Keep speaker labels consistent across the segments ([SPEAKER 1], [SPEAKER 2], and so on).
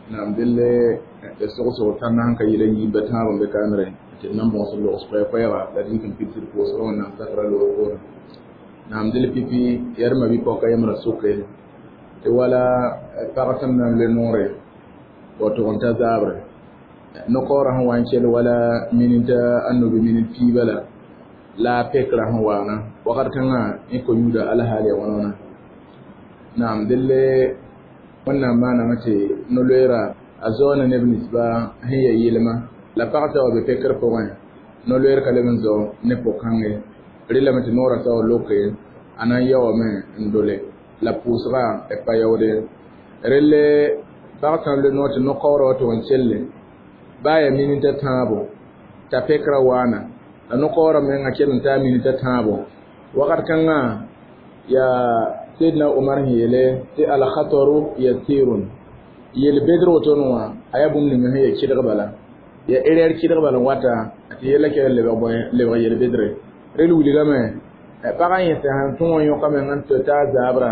[SPEAKER 1] Naam delle sogo tãnna sẽn ka yɩl n yiib tãab n be kaamre tɩ d nan bõos logs koɛɛ-koɛɛga la d yik n pidsd pʋʋsg Wẽnnaam sakra loog poorẽ. Naam dɩl pipi yaa d mabi-pɔka yembra soke tɩ wala pag sẽn na n loe noore wa tʋg n ta zaabre no-kaoorã sẽn wa n kell wala minit a nobe minit piiba la a pekra sẽn waana wakat kãngã yẽ ko-yũuda alhaal ya wãna. Naam delle Wẽnnaam maaname tɩ no-loeera a zao ne neb ninsba sẽn ya yɩlma la pag sã wa be pekr pʋgẽ no-loeer ka leb n zao ne pʋg-kãnge rɩlame tɩ noorã sã wa loke a na n yaoome n dole la pʋʋsga pa yaoode relle pag sã n loe noor tɩ no-kaoorã wa tʋg n kelle baa yaa minita tãabo t'a pekra waana la no-kaoorã menga kell n taa minita tãabo wakat kãngã yaa Sayyidina Umar sẽn yeele tɩ al-khataru yasirun yel-bedr woto wã a yaa bũmb ning sẽn ya kɩdg bala ya erreur kɩdg bala n wata tɩ yella kell lebg yel-bedre rel wilgame pagã yẽ sẽn tũ wã yõkame n tɩ taa zaabra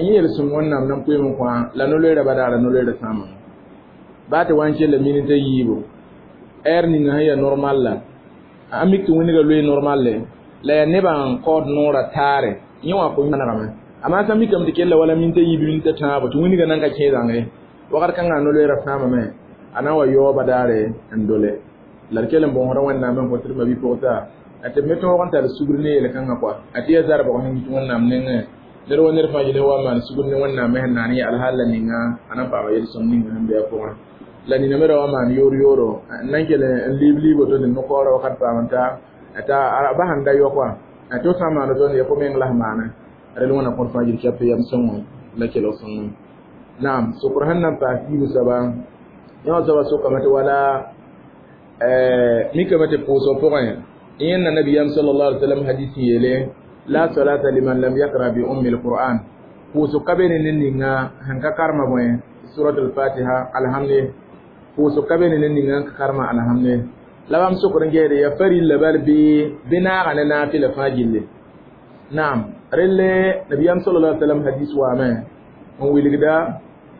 [SPEAKER 1] yẽ yel-sõm Wẽnnaam nan pʋɩm n kõ la no-loeerã badaara no-loeerã sãama baa tɩ wa n kella minita yiibu ɛɛr ninga sẽn ya normal la a mik tɩ wĩnga loe normal le la yaa nebã n kaood noorã taare yẽ wã kõ manegame amma sã mikame tɩ kella wala minita yiib minita tãabo tɩ wĩnga nan ka kẽ zãnge wakat kãngã no-loeerã sãamame a na n wa yaooba daare n dole la d kell n bõosda Wẽnnaam n kõ tɩ d mabi-pʋgsa tɩ b me tõog n tar sugr ne yel-kãngã kɔa a tɩ yaa zarbg sẽn yit Wẽnnaam nengẽ ned wa ned fãa yel wa maan sugr ne Wẽnnaam sẽn naan yã alhaal la ninga a na n paama yel-sõm ninga sẽn be a pʋgẽ la nina me ra wa maan yoor yooro n nan kell n liib liibo to tɩ no-kaoorã wakat paam n ta t'a ba sẽn da yɔ kɔa tɩ f sã n maan woto ya fo meng la sẽn maana rel wẽna kõr fãa yel kɛp yam sõngo la kelg sõngo. Naam sokr sẽn na n paas yiibu soaba yã wã soaba sokame tɩ wala mikame tɩ pʋʋsg pʋgẽ yẽnna nabiyam sallallahu alaihi wasallam hadis yeele la salata liman lam yaqra bi ummi alquran pʋʋsg ka be ne ned ninga sẽn ka karema bõe suratul fatiha alhamde pʋʋsg ka be ne ned ninga n ka karema alhamde la bãmb sokr n geede ya farilla bal bɩ naaga ne naafɩla fãa gilli. Naam relle nabiyam sallallahu alaihi wasallam hadis waame n wilgda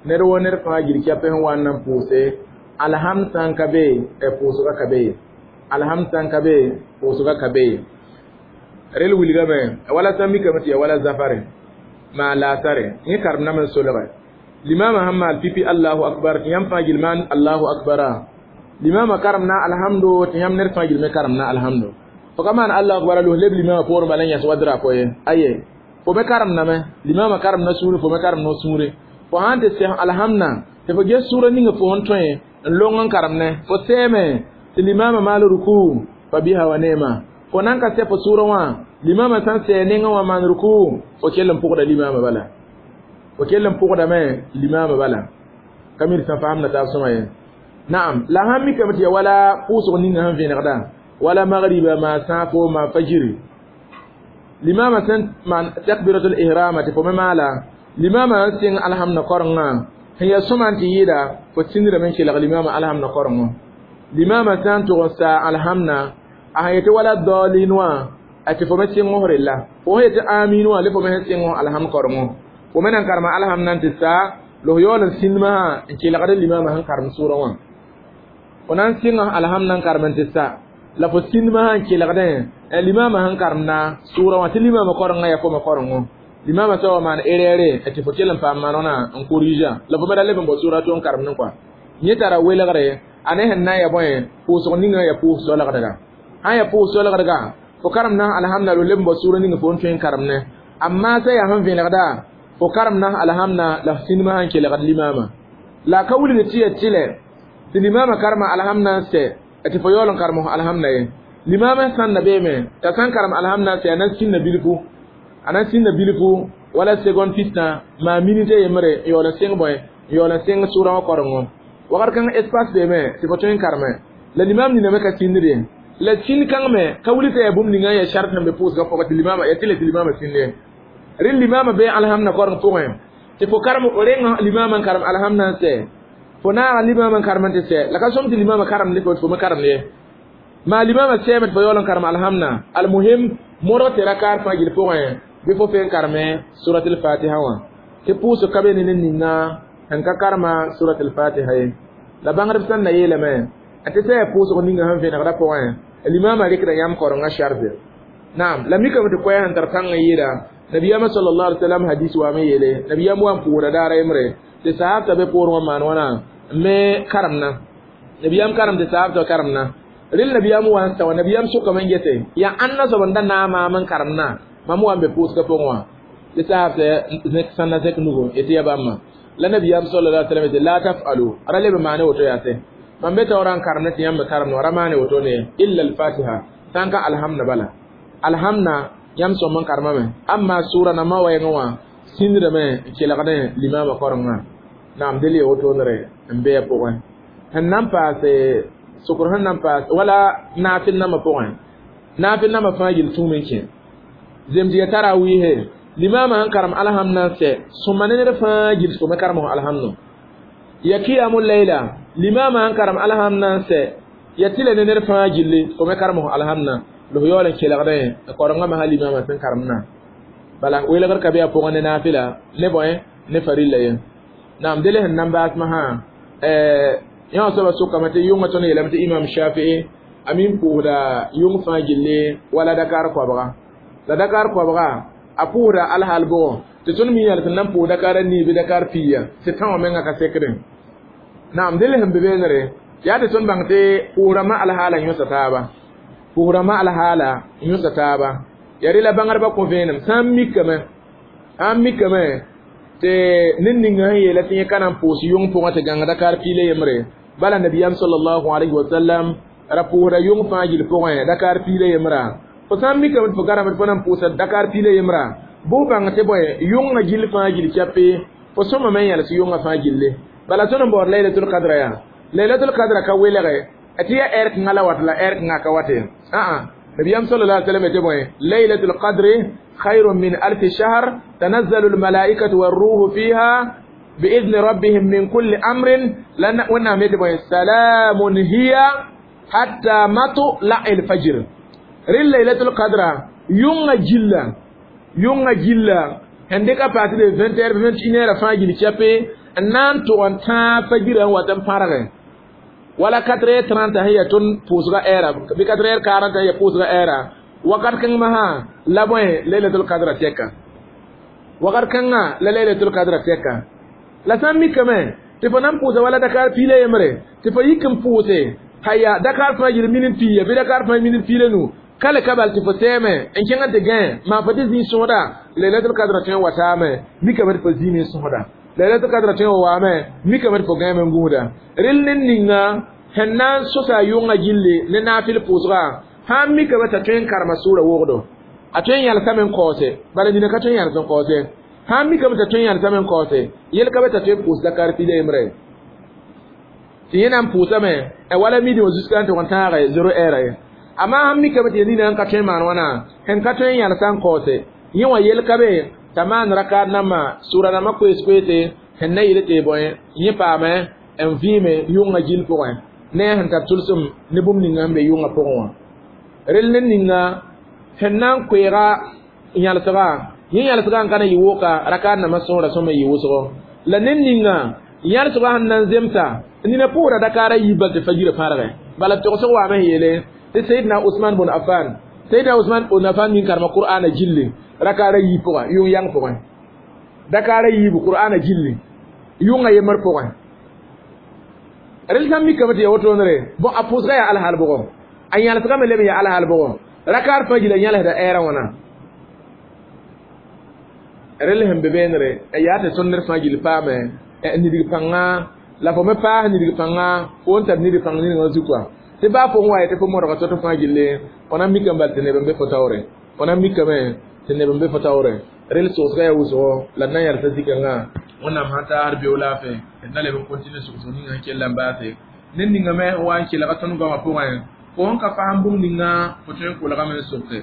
[SPEAKER 1] ned wo ned fãa gil kɛpɛ sẽn wa n na n pʋʋse alhamd sã n ka be pʋʋsga ka be alhamd sã n ka be pʋʋsga ka be rel wilgame wala sã n mikame tɩ ya wala zafare maa laasare yẽ karem nam n solge limama sẽn maal pipi allahu akbar tɩ yãmb fãa gil maan allahu akbara limama karem na alhamdo tɩ yãmb ned fãa gil me karem na alhamdo fo ka maan allahu akbar los leb limama poorẽ bala n yãs wa drapo ye aye fo me karem name limama karem na sũure fo me karem no sũure fo sãn tɩ sɛs alhamdã tɩ fo ges sũurã ninga fo sẽn tõe n long n karem ne fo sɛɛme tɩ limama maal ruku fa biha wa neema fo nan ka sɛ fo sũurã wã limama sã n sɛ nengã wã maan ruku fo kell n pʋgda limama bala fo kell n pʋgdame limama bala ka mir sã faamda taab sõma ye. Naam la sãn mikame tɩ ya wala pʋʋsg ninga sẽn vẽnegda wala magriba ma sãafo ma fajiri limama sẽn maan takbiratul ihrama tɩ fo me maala limama n sɩng alhamdã korengã sẽn ya sõma n tɩ yɩɩda fo sĩndrame n kelg limama alhamdã korengo limama sã n tʋg n saa alhamdã a sẽn yetɩ wala daalin wã a tɩ fo me sɩng f rella fo sẽn yetɩ amin wã le fo me sẽn sɩng alhamd korengo fo me nan karema alhamdã n tɩ saa la f yaool n sĩndmã n kelgd limama sẽn karem sʋʋrã wã fo na n sɩng alhamdã n karem n tɩ sa la fo sĩndmã n kelgdẽ limama sẽn karemda sʋʋrã wã tɩ limama korengã yaa fo me korengo limama sã wa maan erreur tɩ fo kell n paam maanegna n korija la fo me ra leb n bao sʋʋra tɩ n karemdẽ kɔa yẽ tara welgre a ne sẽn na n ya bõe pʋʋsg ninga ya pʋʋs solgdga sã n ya pʋʋs solgdga fo karem na alhamda lo leb n bao sʋʋra ninga fo n tõe n karemne amma sã yaa sẽn vẽnegda fo karem na alhamda la f sĩndmã sẽn kelgd limama la ka wilgd tɩ ya tɩlɛ tɩ limama karema alhamda n sɛ tɩ fo yaool n karem alhamda ye limama sãn na beeme t'a sã n karem alhamda n sɛ a na n sĩnda bilfu a na n sĩnda bilfu wala seconde fistã maa minute yembre n yaool n sɩng bõe n yaool n sɩng sʋʋrã wã korengo wakat kãng espace beeme tɩ fo tõe n kareme la limam nina me ka sĩndr ye la sĩnd kãng me ka wilg tɩ yaa bũmb ninga n yaa shart sẽn be pʋʋsgã pʋgẽ tɩ limama ya tɩ le tɩ limama sĩnd ye rẽ limama bee alhamdã koreng pʋgẽ tɩ fo karem reng limama n karem alhamdã n sɛ fo naaga limama n karem n tɩ sɛ la ka sõm tɩ limama karem ne fo me karemd ye maa limama sɛɛme tɩ fo yaool n karem alhamdã almuhim modg tɩ rakaar fãa gil pʋgẽ Bɩ fo fe n karme suratul fatiha wã tɩ pʋʋsg ka be ne ned ninga sẽn ka karema suratul fatiha ye. La bãngdb sẽn na yeelame tɩ sã yaa pʋʋsg ninga sẽn vẽnegdã pʋgẽ limaamã rɩkda yãmb korengã sharze. Naam, la mikame tɩ koɛɛ sẽn tar pãng n yɩɩda nabiyama sallallahu alaihi wasallam hadis wa me yeele nabiyam wa n pʋʋsda daara yembre tɩ sahabta be poorẽ wã maan wãna n me karemna nabiyam karem tɩ sahabta karemna rel nabiyam wa n sao nabiyam sʋkame n gese yaa ãnna soab n da naag maam n karemna mam wa n be pʋʋsgã pʋgẽ wã tɩ sahabta sẽn na zẽk nugu yetɩ ya bãmba la nabiyam sallallahu alaihi wasallam la taf'alu ra leb n maane woto yaase mam be taoorã n karemna tɩ yãmb me karemna ra maane woto ne illa al-fatiha sã n ka alhamda bala alhamda yãmb sõm n karemame amma sʋra nambã wɛɛngẽ wã sĩndame n kelgdẽ limaamã korengã naam del ya wotondre n be a pʋgẽ sẽn na n paase sokr sẽn na n paas wala naafɩl nambã pʋgẽ naafɩl nambã fãa yel tũum n kẽ zemd ya tarawiihe limaamã sẽn karem alhamdã n sɛ sõma ne ned fãa gil fo me karem fo alhamdu ya kiyamu layla limaamã sẽn karem alhamdã n sɛ ya tɩla ne ned fãa gilli fo me karem fo alhamdã la fo yaool n kelgdẽ n korengã masã limaamã sẽn karemdã bala welgr ka be a pʋgẽ ne naafɩla ne bõe ne farilla ye. Naam dele sẽn na n baas masã yã soaba sʋkame tɩ yʋngã tõnd yeelame tɩ imam shafii a min pʋʋsda yʋng fãa gilli wala dakar koabga la dakar koabga a pʋʋsda alhaal bʋgɔ tɩ tõnd mi yãl sẽn na n pʋʋs dakar a nii bɩ dakar piiya tɩ tã wã menga ka sekdẽ. Naam dele sẽn be beenere yaa tɩ tõnd bãng tɩ pʋʋsrãmbã alhaala yõsa taaba pʋʋsrãmbã alhaala yõsa taaba ya rela bãngdbã kõ vẽenem sã n mikame tɩ ned ninga sẽn yeela tɩ yẽ ka na n pʋʋs yʋng pʋgẽ tɩ gãng dakar piila yembre bala nabiyam sallallahu alaihi wasallam ra pʋʋsda yʋng fãa gill pʋgẽ dakar piila yembrã fo sã n mikame tɩ fo garame tɩ fo na n pʋʋsa dakar piila yembrã bʋ bãng tɩ bõe yʋngã gill fãa gill chape fo sõmame n yãls yʋngã fãa gilli bala tõnd n baood laylatul kadra yaa laylatul kadra ka welge tɩ yaa ɛr kãngã la wat la ɛr kãngã ka wate aa nabiyam sallallahu alaihi wasallam tɩ bõe laylatul qadri خير من ألف شهر تنزل الملائكة والروح فيها بإذن ربهم من كل أمر لن سلام هي حتى مطلع الفجر. رل ليلة القدر يوم جلا يوم جلا عندك partir de 20h 21h fin gil chape nan to an ta fajir an watan farage wala 4h30 hiya ton pusga era bi 4h40 hiya pusga era wakat kãng masã la bõe laylatul qadra tɛka wakat kãngã la laylatul qadra tɛka la sã n mikame tɩ fo na n pʋʋsa wala dakar piila yembre tɩ fo yik n pʋʋse haya dakar fãa yel minit piiya bɩ dakar fãa minit piila nu kale ka bal tɩ fo sɛɛme n kẽng n tɩ gãe maa fo tɩ zĩig sõsda laylatul qadra tõe n wataame mikame tɩ fo zĩime n sõsda laylatul qadra tõe n wa waame mikame tɩ fo gãeme n gũuda rel ned ninga sẽn na n sosa yʋngã gilli ne naafɩl pʋʋsga sãn mikame t'a tõe n karema sʋʋra wogdo a tõe n yãlsame n kaoose bala nina ka tõe n yãls n kaoose sãn mikame t'a tõe n yãlsame n kaoose yel ka be t'a tõe n pʋʋs dakar piila yembre tɩ yẽ na n pʋʋsame wala midi wã zusga n tʋg n tãage zero ɛɛra ye amma sãn mikame tɩ nina n ka tõe n maan wãna sẽn ka tõe n yãlsa n kaoose yẽ wã yel ka be t'a maan rakaat nambã sʋʋra nambã koees-koeese sẽn na yɩl tɩ bõe yẽ paame n vĩime yʋngã gill pʋgẽ ne a sẽn tar tʋlsem ne bũmb ninga sẽn be yʋngã pʋgẽ wã rel ned ninga sẽn na n koeega yãlsga yẽ yãlsga n ka na yɩ woka rakaat nambã sõora sõma yɩ wʋsgo la ned ninga yãlsga sẽn na n zemsa nina pʋʋra dakaara yiib bal tɩ fajirã pãrgẽ bala togsg waame sẽn yeele tɩ sayidna usman bn affan sayidna usman bn affan min karema qur'ana gilli rakaara yiib pʋgẽ yʋng yang pʋgẽ dakaara yiibu qur'ana gilli yʋngã yembr pʋgẽ rel sã n mikame tɩ ya wotondre bõ a pʋʋsga yaa alhaal bʋgɔ a yãlsgame leb n yaa alhaal bʋgɔ rakaar fãa gila yãlsda ɛɛrã wãna rel sẽn be beenere yaa tɩ tõnd ned fãa gill paame nidg pãnga la fo me paas nidg pãnga fo n tar nidg pãng ninga zukwa tɩ baa fo n wa tɩ fo modga to-to fãa gilli fo na n mikame bal tɩ neb n be fo taoore fo na n mikame tɩ neb n be fo taoore rel sogsga yaa wʋsgo la d na n yalsa zikãngã wẽnnaam sã taasd beo laafɛ d na leb n continue sogsg ninga sẽn kell n baase ned ninga me n wa n kelga tõnd goamã pʋgẽ fo sẽn ka fasem bũmb ninga fo tõe n kolgame n sokse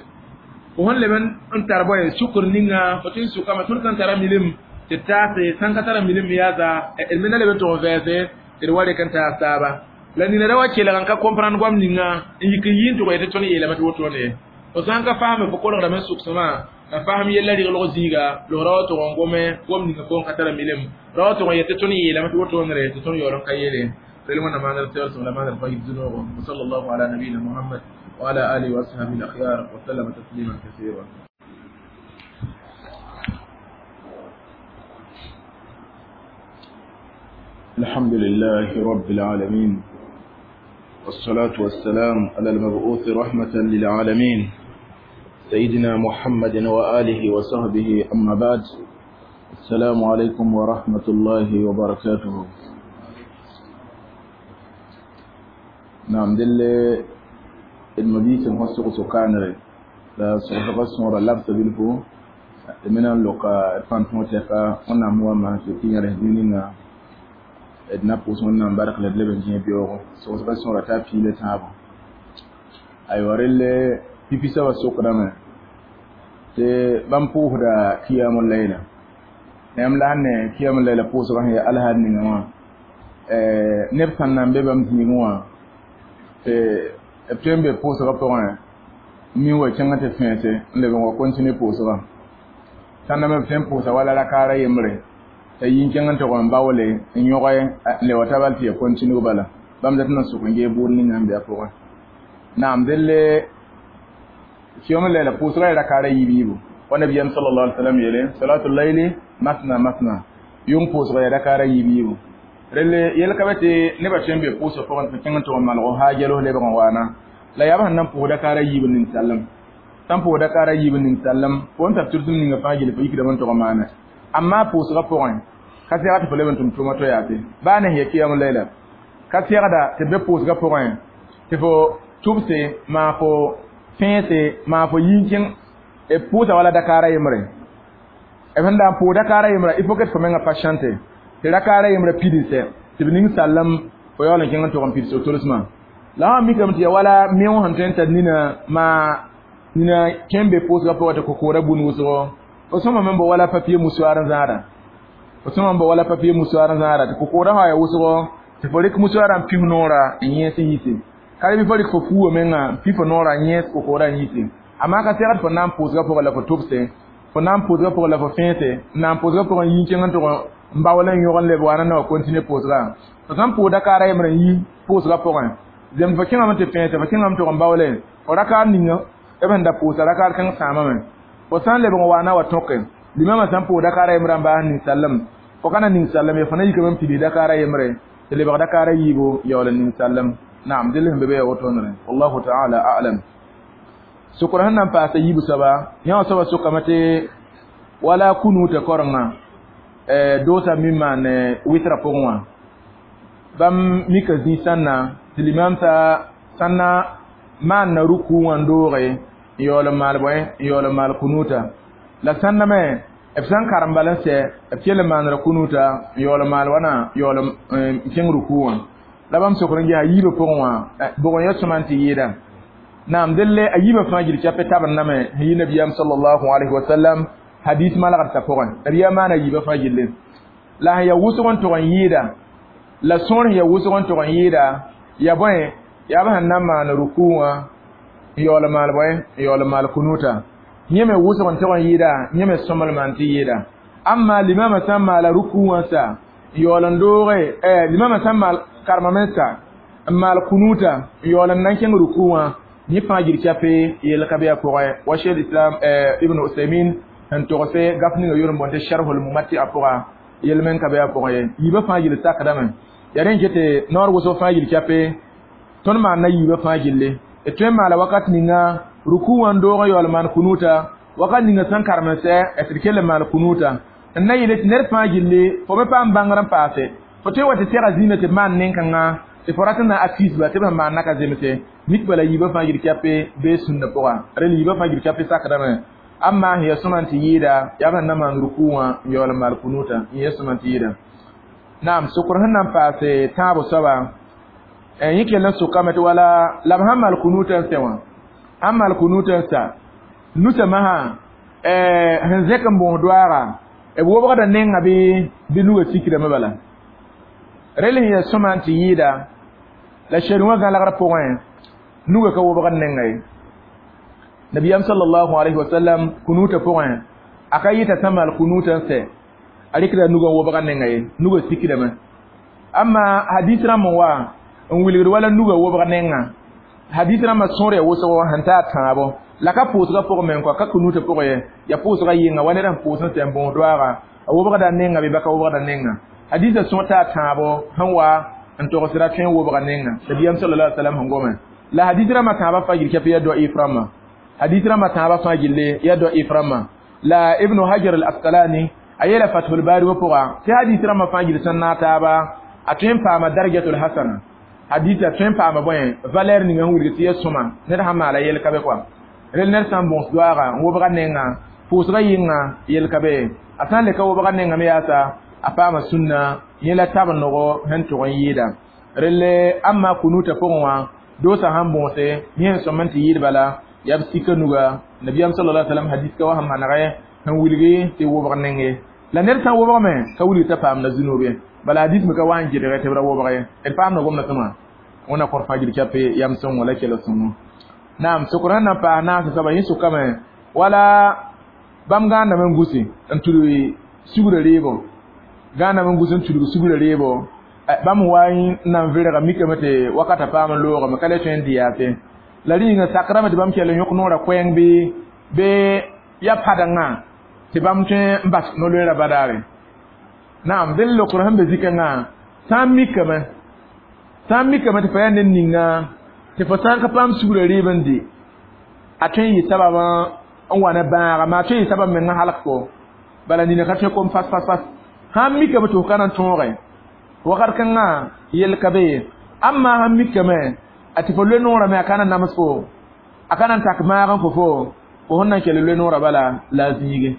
[SPEAKER 1] fo sẽn leb n tar bõe sukr ninga fo tõe n sʋkame tõnd sãn tara milim tɩ taase sãn ka tara milim yaasa d me na leb n tʋg n vɛɛse tɩ d wa rek n taas taaba la nina ra wa kelg n ka comprendre goam ninga n yik n yɩ n tʋg tɩ tõnd yeelame tɩ wotone ye fo sãn ka fasme fo kolgdame n sʋksẽmã La faham yella riglg zĩiga lg ra wa tʋg n gome gom ninga pʋgẽ ka tara milem ra wa tʋg n yet tɩ tõnd yeelame tɩ wotone tɩ tõnd yaool n ka yeele rel wẽnnaam maandr sɛgsem la maandr pa yib zũ-noogo wa sallallahu ala nabiyina muhammad wa ala alihi wa ashabihi al-akhyar wa sallama tasliman kathira.
[SPEAKER 2] الحمد لله رب العالمين والصلاة والسلام على المبعوث رحمة للعالمين سيدنا محمد وآله وصحبه أما بعد السلام عليكم ورحمة الله وبركاته. نعم دل المبيت المحسق سكانري لا سوف سورة لابس بالفو من اللقاء فانتموتيكا ونعم وما سيتين رهديننا d na pʋʋs Wẽnnaam bark la d leb n kẽ beoogo sogsga sõora t'a piila tãabo aywa relle pipi soaba sokdame tɩ bãmb pʋʋsda kiyam layla yãmb la sẽn ne kiyam layla pʋʋsgã sẽn yaa alhaad ninga wã neb sãn na n be bãmb zĩigẽ wã tɩ b tõe n be pʋʋsgã pʋgẽ min wa kẽng tɩ fẽese n leb n wa kontine pʋʋsgã sãn na me b tõe n pʋʋsa wala rakaara yembre t'a yi n kẽng n tʋg n baoole n yõge n le wa ta bal tɩ ya continue bala bãmb dat n sʋk n gee bʋʋd ninga n be a pʋgẽ naam delle kiyom layla pʋʋsgã yaa rakaara yiib-yiibu wa nabiyam sallallahu alaihi wasallam yeele salatul layli masna masna yʋng pʋʋsga yaa rakaara yiib-yiibu relle yel ka be tɩ nebã tõe n be pʋʋsg pʋgẽ tɩ kẽng n tʋg n malg haajalo lebg n waana la yaa b sẽn na n pʋʋs rakaara yiib ninsalem sãn pʋʋs rakaara yiib ninsalem fo n tar tʋrsem ninga fãa gil fo yikdame n tʋg n maana amma pʋʋsgã pʋgẽ ka sɛgd tɩ fo leb n tʋm tʋʋma to yaase baa ne sẽn ya kiyam layla ka sɛgda tɩ be pʋʋsgã pʋgẽ tɩ fo tʋbse maa fo fẽese maa fo yĩn-kẽng b pʋʋsa wala dakaara yembre b sẽn da n pʋʋs dakaara yembrã il faut que tɩ fo menga patiente tɩ rakaara yembrã pidsɛ tɩ b ning sallem fo yaool n kẽng n tʋg n pids tolsmã la wã mikame tɩ ya wala meo sẽn tõe n tar nina maa nina tõe n be pʋʋsgã pʋgã tɩ kokoorã bũn wʋsgo fo sõma me n bo wala papier musuar n zãada fo sõma n bo wala papier musuar n zãada tɩ kokoorã sã yaa wʋsgo tɩ fo rɩk musuarã n pif noorã n yẽes n yise ka bɩ fo rɩk fo fuuwã menga n pi fo noorã n yẽes kokoorã n yise amma ka sɛgd fo na n pʋʋsgã pʋgã la fo tʋbse fo na n pʋʋsgã pʋgã la fo fẽese n na n pʋʋsgã pʋgã n yĩn kẽng n tʋg n baool n yõg n leb waana na wa continue pʋʋsgã fo sãn pʋʋs dakaara yembrã n yi pʋʋsgã pʋgẽ zemd fo kẽngame tɩ fẽese fo kẽngame tʋg n baoole fo rakaar ninga b sẽn da pʋʋsa rakaar kãng sãamame fo sãn lebg n waana wa tõke limamã sãn pʋʋs dakaara yembrã n baas ninsallem fo ka na ninsallem ye fo na yikame n pids dakaara yembre tɩ lebg dakaara yiibu yaool n ninsallem naam dɩl sẽn be be ya wotonere wallahu taala a'lam sokr sẽn na n paasa yiib soaba yã wã soaba sokame tɩ wala kunuutã korenga doosa min maan wɩtra pʋgẽ wã bãmb mika zĩ sãnna tɩ limam sã na maanna ruku wã n dooge n yaool n maal bõe n yaool n maal kunuuta la sãnna me b sã n karem bala n sɛ b kell n maandra kunuuta n yaool n maal wãna yaool n kẽng ruku wã la bãmb sokr n ges a yiibã pʋgẽ wã bʋg n ya sõma n tɩ yɩɩda naam delle a yiibã fãa gil chape tabr name sẽn yi nabiyaam sallallahu alaihi wasallam hadis malgd t'a pʋgẽ nabiyaam maana yiibã fãa gilli la sẽn ya wʋsg n tʋg n yɩɩda la sõor sẽn ya wʋsg n tʋg n yɩɩda ya bõe yaa b sẽn na n maan ruku wã n yaool n maal bõe n yaool n maal kunuuta yẽ me wʋsg n tʋg n yɩɩda yẽ me sõmelmã n tɩ yɩɩda amma limamã sã n maala ruku wã sa n yaool n dooge limamã sã n maal karemame sa n maal kunuuta n yaool n na n kẽng ruku wã yẽ fãa gil chape yel ka be a pʋgẽ wa shekh islam ibn usaymin n togse gaf ninga yʋr n boond tɩ sharhul mumati a pʋga yel men ka be a pʋgẽ ye yiibã fãa gil sakdame yaa rẽ n tɩ noor wʋsg fãa gil chape tõnd maanda yiibã fãa gilli d tõe n maala wakat ninga ruku wã n doog n yaool maan kunuuta wakat ninga sẽn karem n sɛ tɩ d kell n maal kunuuta n na yeele tɩ ned fãa gilli fo me paam bãngr n paase fo tõe n wa tɩ sɛga zĩigã tɩ b maan nen-kãngã tɩ fo rat n na akisba tɩ b sẽn maan na ka zemse mik bala yiibã fãa gil chape bee sũnna pʋga rel yiibã fãa gil chape sakdame amma sẽn ya sõma n tɩ yɩɩda yaa b sẽn na maan ruku wã n yaool n maal kunuuta n ya sõma n tɩ yɩɩda naam sokr sẽn na n paase tãabo soaba yẽ kell n sokame tɩ wala la b sãn maal kunuutã n sẽ wã sãn maal kunuutã n sa nusa masã sẽn zẽk n bõos doaaga b wobgda nenga bɩ nuga sikrame bala rel sẽn ya sõma n tɩ yɩɩda la sher wã gãlgr pʋgẽ nuga ka wobgd nenga ye
[SPEAKER 1] Nabiyam sallallahu alaihi wasallam kunuta pʋgẽ a ka yɩta sã maal kunuta n sɛ a rɩkda nugã wobga nenga ye nugã sikdame amma hadis rãmb n wa n wilgd wala nugã wobg nenga hadis rãmbã sõor ya wʋsgo sẽn ta a tãabo la ka pʋʋsgã pʋgẽ meng kɔa ka kunuta pʋgẽ ye ya pʋʋsgã yɩnga wa ned sẽn pʋʋs n sɛ n bõos doaaga a wobgda nenga bɩ baka wobgda nenga hadisã sõor ta a tãabo sẽn wa n togsda tõe n wobga nenga nabiyam sallallahu alaihi wasallam sẽn gome la hadis rãmbã tãabã fãa gil kɛp ya da'if rãmbã hadis rãmbã tãabã fãa gille ya da'if rãmbã la ibnu hajar al asqalani a yeela fathul bari wã pʋga tɩ hadis rãmbã fãa gil sẽn naag taaba a tõe n paama darajatul hasana hadis a tõe n paama bõe valeur ninga sẽn wilg tɩ ya sõma ned sãn maala yel ka be kɔa rel ned sã n bõs doaaga n wobga nenga pʋʋsga yɩnga yel ka be a sã n le ka wobga nenga me yaasa a paama sũnna yẽ la tab nogo sẽn tʋg n yɩɩda relle amma kunuta pʋgẽ wã doosã sãn bõose yẽ sẽn sõm n tɩ yɩɩd bala yaa b sika nuga nabiyam sallallahu alaihi wasallam hadis ka wa sẽn manegɛ sẽn wilgi tɩ wobg nenge la ned sã n wobgame ka wilg t'a paamda zũnobe bala hadis me ka wa n gɩdgɛ tɩ b ra wobg ye d paamda gomda sõma wẽna kõr fãa gil kɛpe yam sõngo la kell sõngo naam sokr sẽn na n paas naas soaba yẽ sʋkame wala bãmb gãandame n gusi n tudg sugrã reebo gãandame n gus n tudg sugrã reebo bãmb wa n na n vɩrga mikame tɩ wakata paam n loogame ka le tõe n dɩ yaase la rĩnga sakrame tɩ bãmb kell n yõk noorã koɛɛng bɩ bee ya padengã tɩ bãmb tõe n bas no-loeerã badaare naam dẽn lokr sẽn be zikãngã sã n mikame tɩ fa yaa ned ninga tɩ fo sã n ka paam sugrã rɩɩb n dɩ a tõe n yɩ sabab n wa ne bãaga maa tõe n yɩ sabab meng n halg fo bala nina ka tõe kom fas fas fas sãn mikame tɩ fo ka na n tõoge wakat kãngã yel ka be ye amma sãn mikame a tɩ fo loe noorã me a ka na nams fo a ka na n tak maag n fo fo fo sẽn na n kell loe noorã bala la a zĩige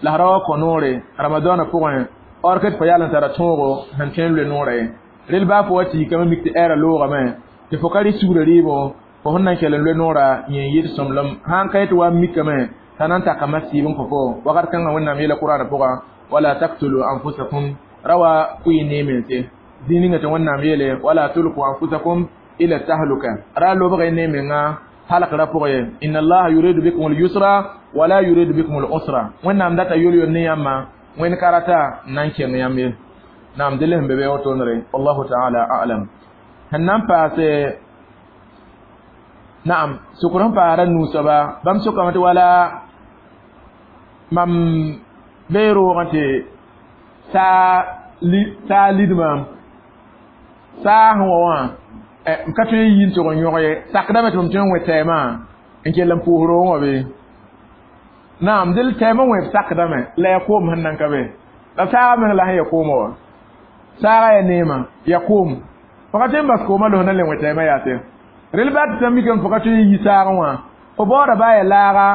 [SPEAKER 1] la f ra wa kõ noore ramadaanã pʋgẽ or ket fo yaal n tara tõogo sẽn tõe n loe noorã ye rel baa fo wa tɩ yikame mik tɩ ɛɛrã loogame tɩ fo ka rɩ sugrã rɩɩbo fo sẽn na n kell n loe noorã yẽ n yɩɩd sõmblem sãn ka yetɩ wa n mikame t'a na n takame sɩɩb n kõ fo wakat kãngã wẽnnaam yeela qur'aanã pʋga wala taktulu anfusakum ra wa kʋɩ ne mense zĩig ninga tɩ wẽnnaam yeele wala tulku anfusakum ila tahluka ra lobg ne menga halakra pʋgẽ ye inna allaha yuridu bikum al-yusra wala yuridu bikum al-usra wẽnnaam data yol-yol ne yãmba wẽnd karata n na n kẽng yãmb ye naam dɩl sẽn be be wotonre wallahu taala a'lam sẽn na n paase naam sokr sẽn paasda nuu soaba bãmb sokame tɩ wala mam bee roogẽ tɩ saa lidmam saa sẽn wa wã m ka tõe n yi n tʋg n yõg ye sakdame tɩ mam tõe n wẽ tɛɛmã n kell n pʋʋs roogẽ wã be naam dɩl tɛɛmã wẽb sakdame la ya koom sẽn nan ka be la saaga meng la sẽn ya koomã wa saaga ya neema ya koom fo ka tõe n bas koomã los na le wẽ tɛɛmã yaase rel baa tɩ sã n mikame fo ka tõe n yi saagẽ wã fo baooda baa ya laaga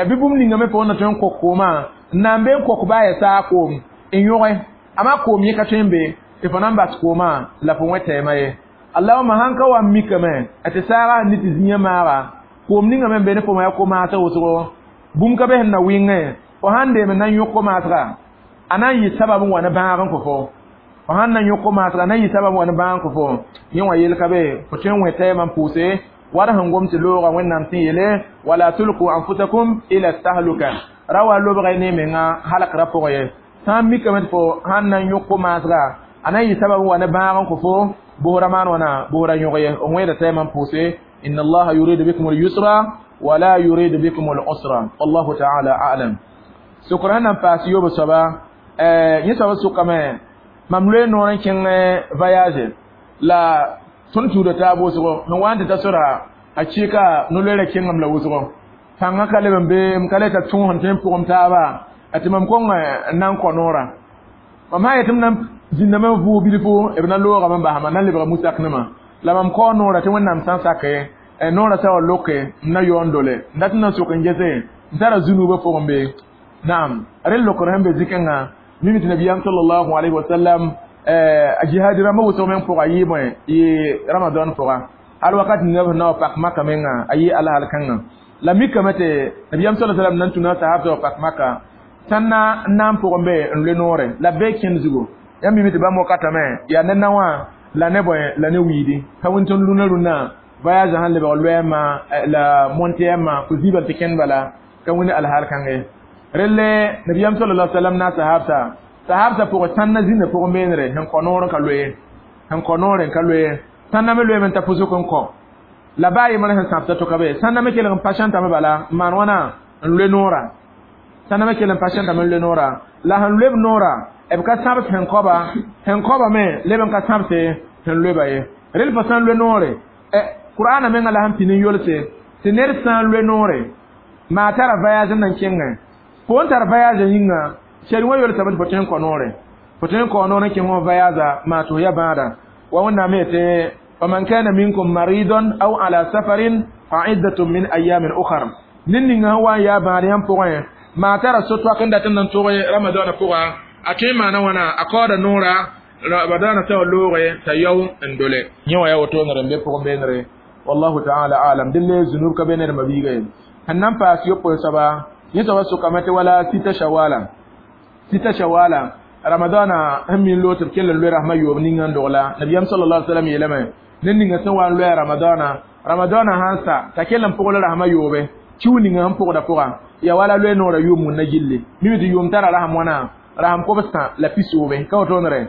[SPEAKER 1] bɩ bũmb ninga me fo na tõe n kok koomã n na n be n kok baa ya saag koom n yõge ama koom yẽ ka tõe n be tɩ fo na n bas koomã la fo wẽ tɛɛmã ye allahuma sãn ka wa n mikame tɩ saaga sẽn ni tɩ zĩigã maaga koom ninga me n be ne fo ya ko-maasg wʋsgo bũmb ka be sẽn na wɩngẽ fo sãn deem n na n yõk ko-maasga a na n yɩ sabab n wa ne bãag n kõ fo fo sãn na n yõk ko-maasga a na n yɩ sabab n wa ne bãag n kõ fo yẽ wã yel ka be fo tõe n wẽ tɛɛmã n pʋʋse war sẽn gom tɩ looga wẽnnaam sẽn yeele wala tulku anfusakum ila tahluka ra wa lobga ne menga halakra pʋgẽ ye sã n mikame tɩ fo sãn na n yõk ko-maasga a na n yɩ sabab n wa ne bãag n kõ fo bʋʋra maan wãna bʋʋra yõg ye n wẽeda tɛɛmã n pʋʋse inna allaha yuridu bikum al-yusra wala yuridu bikum al-usra wallahu ta'ala a'lam sokr sẽn na n paas yoob soaba yẽ soaba sʋkame mam loe noor n kẽng voyage la tõnd tuuda taab wʋsgo sẽn wa n tɩ ta sora a kɩɩka no-loeerã kẽngame la wʋsgo pãngã ka leb n be m ka le t'a tõog sẽn tõe n pʋgem taaba tɩ mam kong n na n kõ noorã mam sã n yetɩ m na n zĩndame n vʋʋg bilfu b na loogame n basma na n lebga musak nima la mam kao noorã tɩ wẽnnaam sã n sake noorã sa wa loke n na yaoon dole n dat n na n sok n gese n tara zũnuubã pʋgẽ be naam rel lokr sẽn be zikẽngã mimi tɩ nabiyaam sallallahu alayhi wa sallam a jihad rãmbã wʋsg meng pʋga yɩ bõe yɩ ramadan pʋga hal wakat ninga b na wa pak maka menga a yɩ alahal kãngã la mikame tɩ nabiyaam sallallahu alayhi wa sallam nan tũna sahab wa pak maka sãn na n na n pʋgẽ be n loe noore la b bee kẽnd zugu yãmb mimi tɩ bãmb wakatame yaa ne na wã la ne bõe la ne wiidi ka wẽn tõnd rũnã rũnã Voyage sãn lebg loɛɛmã la montɛɛmã fo zibal tɩ kẽnd bala ka wẽnd alhaal kãnge relle nabiyam sallallahu alaihi wasallam na sahabta sahabta pʋgẽ sãnna zĩnda pʋgẽ beenre sẽn kõ noor n ka loe sẽn kõ noore n ka loe sãnna me loeme n ta pʋsg n kõ la baa yembr sẽn sãbta to ka be sãnna me kelg n patientame bala n maan wãna n loe noora sãnna me kell n patientame n loe noora la sẽn loeb noora b ka sãbs sẽn kõba me leb n ka sãbse sẽn loeba ye rel fo sã n loe noore qur'ana menga la sẽn pin n yolse tɩ ned sã n loe noore maa tara voyage n nan kẽngẽ fo n tar voyage yĩnga shari wã yolsame tɩ fo tõe n kõ noore fo tõe n kao noor n kẽng wã voyage maa tɩ fo ya bãada wa wẽnnaam yetɩ faman kana minkum maridan aw ala safarin fa iddatun min ayamin ukhar ned ninga sẽn wa n yaa bãad yãmb pʋgẽ maa tara so-toak n dat n nan tʋg ramadana pʋga a tõe n maana wãna a kaooda noora ramadana sã wa looge t'a yao n dole yẽ wã yaa woto-nere n be pʋgẽ beenere wallahu taala alam dille zunub ka be ned mabiiga ye sẽn nan paas yopoe soaba yẽ soaba sʋkame tɩ wala sita shawala sita shawala ramadana sẽn min loog tɩ b kell n loe rasmã yoob ninga n dogla nabiyam sallallahu alaihi wasallam yeelame ned ninga sẽn wa n loɛ ramadana ramadana sãn sa t'a kell n pʋgl rasmã yoobe kiu ninga sẽn pʋgda pʋga ya wala loe noora yʋʋm wũnna gilli mimi tɩ yʋʋm tara rasam wãna rasam kobsã la pisoobe ka wotoonere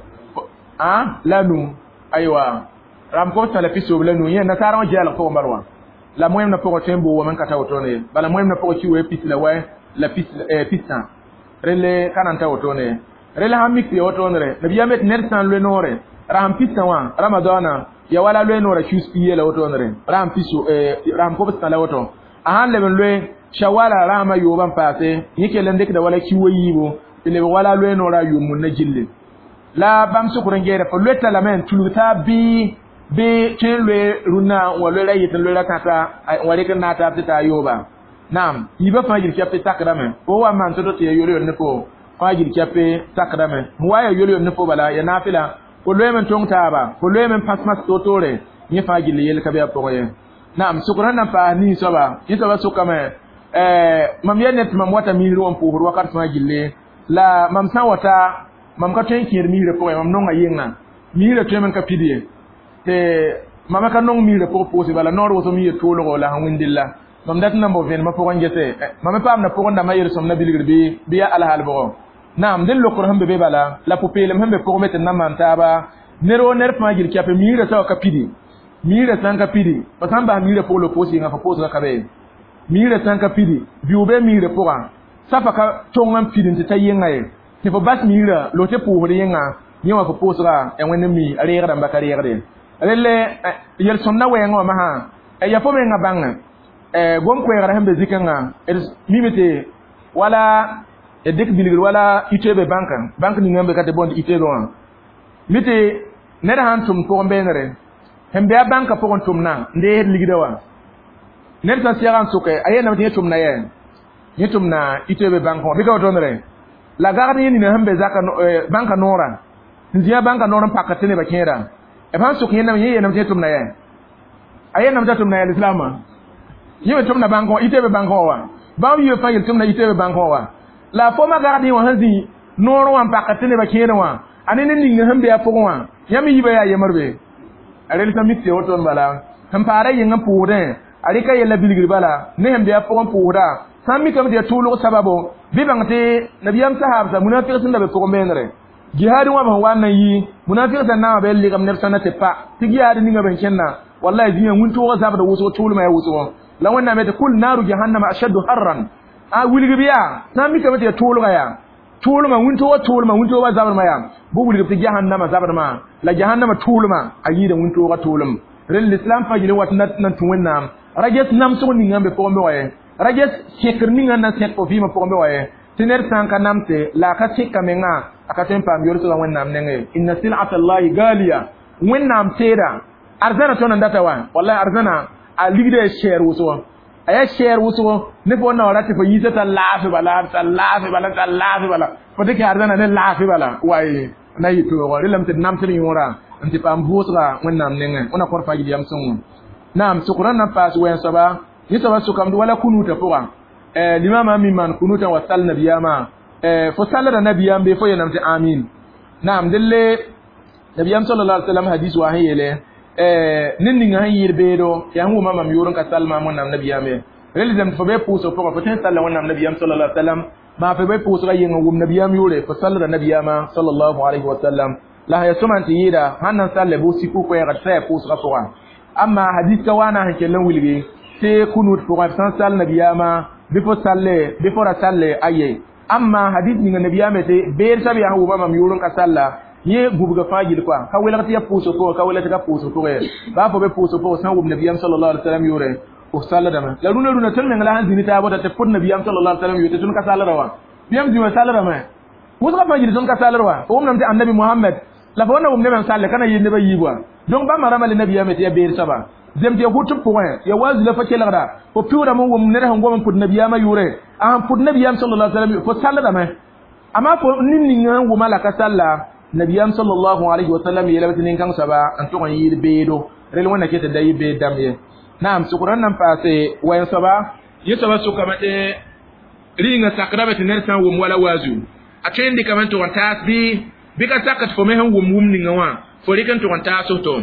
[SPEAKER 1] a la nu aywa rasam kobsã la pisoobe la nu yẽ nasaarã wã gɛɛlg pʋgẽ bal wã la moẽmna pʋgẽ tõe n boo wame n ka ta wotone ye bala moẽmna pʋgẽ ki wee pis la wɛ la pis-sã relle ka nan ta wotone ye relle sãn mik tɩ ya wotoonere nabiyaam yetɩ ned sã n loe noore rasam pis-sã wã ramadana ya wala loe noora kius pi la wotoonere rasam pis rasam kobsã la woto a sãn leb n loe shawala rasmã yoobã n paase yẽ kell n dɩkda wala ki wa yiibu tɩ leb wala loe noora yʋʋm wũnna gilli la bãmb sʋkr n geeda fo loeta lame n tulg taa bɩ bɩ tõe n loe rũnnã n wa loe ra yet n loe ra kãsa n wa rɩk n naag taab tɩ taa yooba naam yiibã fãa gil kɛp tɩ sakdame fo wa n maan to-to tɩ ya yol-yol ne fo fãa gil kɛp sakdame sẽn wa ya yol-yol ne fo bala ya naafɩla fo loeeme n tõng taaba fo loeeme n pãs mas to-toore yẽ fãa gill yell ka be a pʋgẽ ye naam sʋkr sẽn na n paas nin soaba yẽ soaba sʋkame mam yɛl ned tɩ mam wata miisr wã n pʋʋsd wakat fãa gilli la mam sã n wata mam ka tõe n kẽed miisrã pʋgẽ mam nonga yɩnga miisrã tõeme n ka pid ye tɩ mam ka nong miisrã pʋg pʋʋse bala noor wʋsg miisr toolgo la sẽn wĩndilla mam dat n na n bao vẽenemã pʋgẽ gese mam me paamda pʋgẽ dãmbã yel-sõmda bilgr bɩ yaa alhaal bʋgɔ naam dẽn lokr sẽn be be bala la pʋ-peelem sẽn be pʋgẽ be tɩ d na n maan taaba ned woo ned fãa gil kɛpe miisrã sã wa ka pidi miisrã sã n ka pidi fo sã n bas miisrã pʋg la pʋʋs yɩnga fo pʋʋsgã ka be miisrã sã n ka pidi biʋ be miisrã pʋgã safa ka tõng n pid n tɩ ta yɩnga ye tɩ fo bas miisrã lo tɩ pʋʋsd yɩnga yẽ wã fo pʋʋsga ya wẽnd n mi a reegdã n ba ka reegde relle yel-sõmda wɛɛngã wã masã ya fo menga bãngẽ gom-koɛɛgrã sẽn be zikẽngã d mime tɩ wala d dɩk bilgr wala ITB bãnkã bãnk ninga n be ka tɩ bõnd ITB wã mi tɩ ned sãn tʋm pʋgẽ beenere sẽn be a bãnkã pʋgẽ tʋmna n deesd ligda wã ned sã sɛga n sʋke a yeelame tɩ yẽ tʋmna yɛ yẽ tʋmna ITB bãnkã wã bɩ ka wotoonere la gagd yẽ nina sẽn be zaka bãnkã noorã n zĩ a bãnkã noor n pakd tɩ nebã kẽeda b sãn sʋk yẽndame yẽ yeelame tɩ yẽ tʋmna yɛ a yeelame t'a tʋmna yɛ lislaamã yẽ me tʋmna bãnkã wã ITB bãnkã wã wa bãmb yiibã fãa yel tʋmna ITB bãnkã wã wa la fo ma gagd yẽ wã sẽn zĩ noor wã n pakd tɩ nebã kẽedẽ wã a ne ned ning sẽn be a pʋgẽ wã yãmb yiibã yaa yembr be a rel sã mik tɩ wotoon bala sẽn paada yɩng n pʋʋsdẽ a rɩka yella bilgr bala ne sẽn be a pʋgẽ pʋʋsda sã n mikame tɩ yaa tʋʋlg sababo bɩ bãng tɩ nabiyaam sahaabsa munafɩg sẽn da be pʋgẽ beenere jihaad wã b sẽn wa n na n yi munafɩg sã naamã bɩ legem neb sãna tɩ pa tɩ jihaad ninga b sẽn kẽnna wallahi zĩigã wĩntooga zabda wʋsgo tʋʋlmã yaa wʋsgo la wẽnnaam yetɩ kul naaru jahannama ashaddu harran a wilgb yaa sã n mikame tɩ yaa tʋʋlga yaa tʋʋlmã wĩntooga tʋʋlmã wĩntooga zabrmã yaa bɩ wilgb tɩ jahannama zabrmã la jahannama tʋʋlmã a yɩɩda wĩntooga tʋʋlem rel l'islam fãa gil n wat n tũ wẽnnaam ra ges namsg ninga n be pʋgẽ be wa ye ra ges sẽkr ninga n na sẽk fo vɩɩmã pʋgẽ be wa ye tɩ ned sã n ka namse la a ka sẽka menga a ka tõe n paam yolsgã wẽnnaam nengẽ inna silata llahi galiya wẽnnaam teeda arzãna tõnd n data wa wallahi arzãna a ligda ya sɛɛr wʋsgo a yaa sɛɛr wʋsgo ne fo na wa ra tɩ fo yiisa t'a laafɩ bala t'a laafɩ bala t'a laafɩ bala fo dɩk arzãna ne laafɩ bala way na yɩ tooogo relame tɩ d namsd yõora n tɩ paam vʋʋsga wẽnnaam nengẽ wẽna kõr fãa gil yam sõngo naam sʋkrã na n paas wɛɛn soaba yẽ soaba sʋkame wala kunuutã pʋga limama mi maan kunuutã wa sal nabiyaamã fo sallda nabiyaam be fo yeelame tɩ amin naam delle nabiyam sallallahu alaihi wasallam hadis wa sẽn yeele Ned ninga sẽn yɩɩd beedo yaa sẽn wʋma mam yʋʋr n ka sall maam Wẽnnaam nabiyaam ye. Rel zem fo be pʋʋsg pʋgẽ fo tõe n salla Wẽnnaam nabiyaam sallallahu alaihi wasallam, maa fo be pʋʋsga yeng n wʋm nabiyaam yʋʋre fo sallda nabiyaamã sallallahu alaihi wasallam. La ya sõma n tɩ yɩɩda sãn na n salle bʋ siku koɛɛgd sã yaa pʋʋsgã pʋgã. Amma hadis ka waana sẽn kell n wilgi tɩ kunut pʋgẽ f sãn sall nabiyaamã bɩ fo salle bɩ fo ra salle aye. Amma hadis ninga nabiyaam tɩ beed sab yaa sẽn wʋma mam yʋʋr n ka salla yẽ gubga fãa gill koa ka welg tɩ ya pʋʋsg pʋgẽ ka welg tɩ ka pʋʋsg pʋgẽ baa fo be pʋʋsg pʋgẽ sãn wʋm nabiyaam sallallahu alaihi wasallam yʋʋre fo salladame. La rũnã rũnã tõnd meng la sãn zĩni taab tɩ pʋd nabiyaam sallallahu alaihi wasallam yʋʋr tɩ tõnd ka sallda wã bɩyam zĩ wã salldame pʋʋsgã fãa gill tõnd ka salld wã fo wʋmdame tɩ annabi Muhammad la fo wẽnna wʋm nebã n salle ka na yɩɩd nebã yiib wã. Donc bãmba rãmbã le nabiyaam tɩ ya beed soaba zem tɩ ya hʋt pʋgẽ ya waazu la fo kelgda fo pɩʋʋdame n wʋm ned sẽn gom n pʋd nabiyaamã yʋʋre a sẽn pʋd nabiyaam sallallahu alaihi wasallam fo salldame. Amma fo nin ninga sẽn wʋma la ka salla nabiyaam sallallahu alaihi wasallam yeelame tɩ nin-kãng soaba n tʋg n yɩɩd beedo rel wẽnna ket tɩ da yɩ beed dãmb ye. Naam sʋkr n nan paase wayan soaba yẽ soaba sʋkame tɩ rĩnga sakdame tɩ ned sã n wʋm wala waazu a tõe n dɩkame n tʋg n taas bɩ ka sak tɩ fo me sẽn wʋm wũm ninga wã fo rɩk n tʋg n taas to.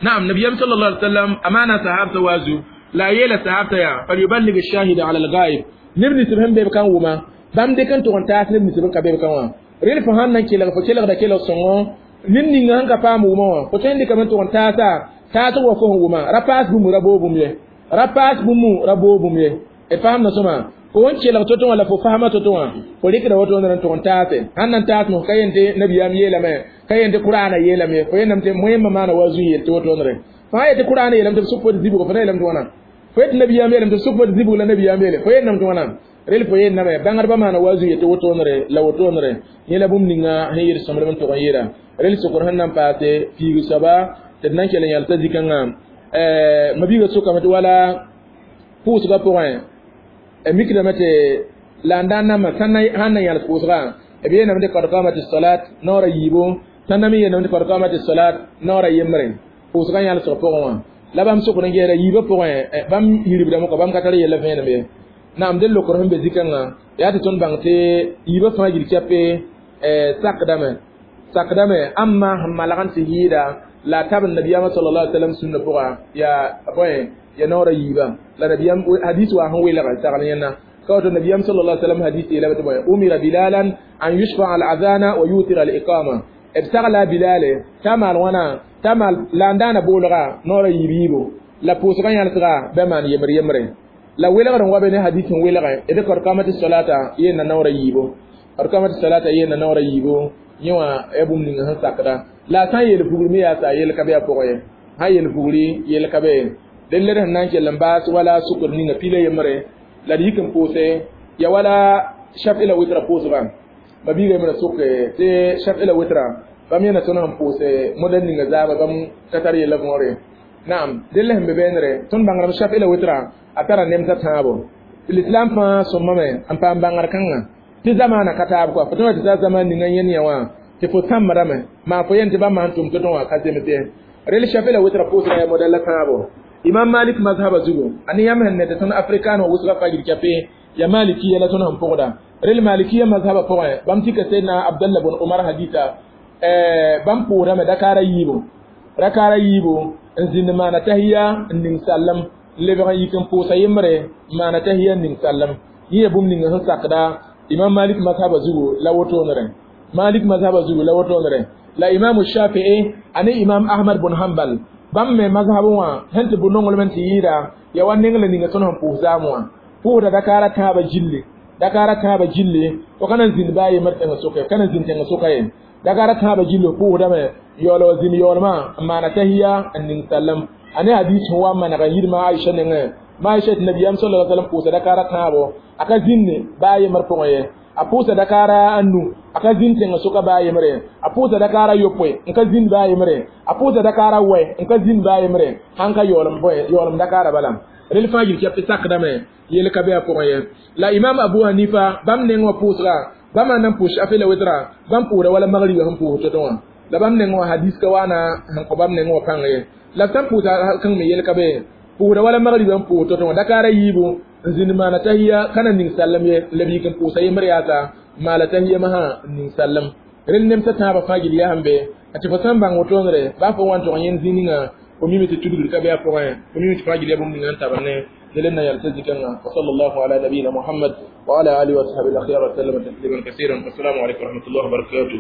[SPEAKER 1] Naam nabiyam sallallahu alaihi wasallam amana sahabta waazu la yeela sahabta yaa falyuballig ash-shahida ala al-ghaib neb nins sẽn be b kan wʋma bãmb dɩk n tʋg n taas neb nins b ka be b kan wã rel fo sãn na n kelg fo kelgda kelg sõngo ned ninga sẽn ka paam wʋma wã fo tõe n dɩkame n tʋg n taasa taasg wa fo sẽn wʋma ra paas bũmb ra boog bũmb ye ra paas bũmb ra boog bũmb ye d faamda sõma fo wẽn kelg to-to wã la fo fasma to-to wã fo rɩkda wotone n tʋg n taase sãn na n taas mos ka yen tɩ nabiyaam yeelame ka yen tɩ kʋraana yeelame fo yenname tɩ moẽmbã maana wa zu yel tɩ wotoonre fãa yetɩ kʋraana yeelame tɩ b sʋk fo tɩ zibgo fo na yeelame tɩ wãna fo yetɩ nabiyaam yeelame tɩ b sʋk fo tɩ zibg la nabiyaam yeele fo yenname tɩ wãna rel fo yenname bãngdbã maana wa zu yetɩ wotoonre la wotoonre yẽ la bũmb ninga sẽn yɩɩd sõmblem n tʋg n yɩɩda rel sʋkr sẽn na n paase piig soaba tɩ d na n kell n yalsa zĩ-kãngã mabiigã sʋkame tɩ wala pʋʋsgã pʋgẽ mikdame tɩ la n daan namba sãn na yãls pʋʋsgã b yeelame tɩ kad qamati salat naoora yiibo sãn na me yeelame tɩ kad qamati salat naoora yembre pʋʋsgã yãlsg pʋgẽ wã la bãmb sʋkr n gesda yiibã pʋgẽ bãmb yiribdame kɔ bãmb ka tar yella vẽenem ye. Naam del lokr sẽn be zĩ-kãngã yaa tɩ tõnd bãng tɩ yiibã fãa gil kɛpe sakdame sakdame amma sẽn malg n tɩ yɩɩda la tab nabiyaamã sallallahu alaihi wasallam sũnna pʋga yaa bõe ya naoora yiibã la nabiyam hadis wa sẽn welg sagl yẽnna ka woto nabiyam sallallahu alaihi wasallam hadis yeelame tɩ bõe umira bilalan an yushfa al adhana wa yutira al iqama b sagla bilale t'a maal wãna t'a maal la n daana boolga naoora yiib yiibo la pʋʋsgã yãlsga bɩ maan yembre yembre la welgr n wa be ne hadis n welgẽ d kad qamati salata yeenna naoora yiibo kad qamati salata yeenna naoora yiibo yẽ wã ya bũmb ninga sẽn sakda la a sã n yeel pugr me yaa t'a yel ka be a pʋgẽ ye sã yeel pugri yel ka be ye dẽn led sẽn na n kell n baas wala sʋkr ninga pila yembre la d yik n pʋʋse ya wala shaf'i la witra pʋʋsgã mabiiga yembrã sʋke tɩ shaf'i la witra bãmb yẽna tõnd sẽn pʋʋse modɛl ninga zaaba bãmb ka tar yella võore. Naam dẽn la sẽn be beenre tõnd bãngrame shaf'i la witra a tara nemsã tãabo tɩ l'islam fãa sõmame n paam bãngr kãngã tɩ zamaana ka taab kɔa fo tõe tɩ taa zaman ninga yẽnd yã wã tɩ fo sãmbdame maa fo yen tɩ bãmb sãn tʋm to-tõ wã ka zems ye rel shaf'i la witra pʋʋsga yaa modɛl la tãabo imam malik mazhaba zugu ani yam sẽn ne tɩ tõnd afrikaan wã wʋsga fagil kɛpe ya malikiya la tõnd sẽn pʋgda rel malikiya mazhaba pʋgẽ bãmb tika sayyidina abdallah bn umar hadita bãmb pʋʋsdame dakaara yiibo rakaara yiibo n zĩnd maana tahiya n ning sallam n lebg n yik n pʋʋsa yembre n maana tahiya n ning sallam yẽ ya bũmb ninga sẽn sakda imam malik mazhaba zugu la wotoonre malik mazhaba zugu la wotoonre la imam shafi'i ane imam ahmad bn hanbal bãmb me mazhabẽ wã sẽn tɩ bʋ nonglem n tɩ yɩɩda ya wa neng la ninga tõnd sẽn pʋʋs zaam wã pʋʋsda dakaara tãabã gilli dakaara tãabã gilli fo ka na n zĩnd baa yembr tẽngã sʋka ka na n zĩnd tẽngã sʋka ye dakaara tãabã gilli pʋʋsdame yaool wa zĩnd yaoolmã n maana tahiya n ning sallam ane hadis sẽn wa n maneg n yid ma Aisha nengẽ ma Aisha tɩ nabiyaam sallallahu alaihi wasallam pʋʋsa dakaara tãabo a ka zĩnde baa yembr pʋgẽ ye a pʋʋsa dakaara a nu a ka zĩnd tẽngã sʋka baa yembre a pʋʋsa dakaara yopoe n ka zĩnd baa yembre a pʋʋsa dakaara wɛ n ka zĩnd baa yembre sãn ka yaoolem bõe yaoolem dakaara bala rel fãa yil kɛp tɩ sakdame yel ka be a pʋgẽ ye la imam abu hanifa bãmb neng wã pʋʋsga bãmb na n pʋʋs shaf'i la witra bãmb pʋʋsda wala magriba sẽn pʋʋs to-to wã la bãmb neng wã hadis ka waana sẽn kõ bãmb neng wã pãng ye la sãn pʋʋsa kãng me yel ka be pʋʋsda wala magriba n pʋʋs to-to wã dakaara yiibu n zĩnd maana tahiya ka na ning sallam ye la b yik n pʋʋsa yembr yaasa maala tahiya masã n ning sallam rel nemsã tãabã fãa gil yaa sẽn be tɩ fo sãn bãng wotoonre baa fo wa n tog yẽnd zĩ ninga Fo mime tɩ tudgr ka be a pʋgẽ, fo mime tɩ fãa gil ya bũmb ninga n tabr ne نلنا يلتزك وصلى الله على نبينا محمد وعلى آله وصحبه الأخيار وسلم تسليما كثيرا. والسلام عليكم ورحمة الله وبركاته.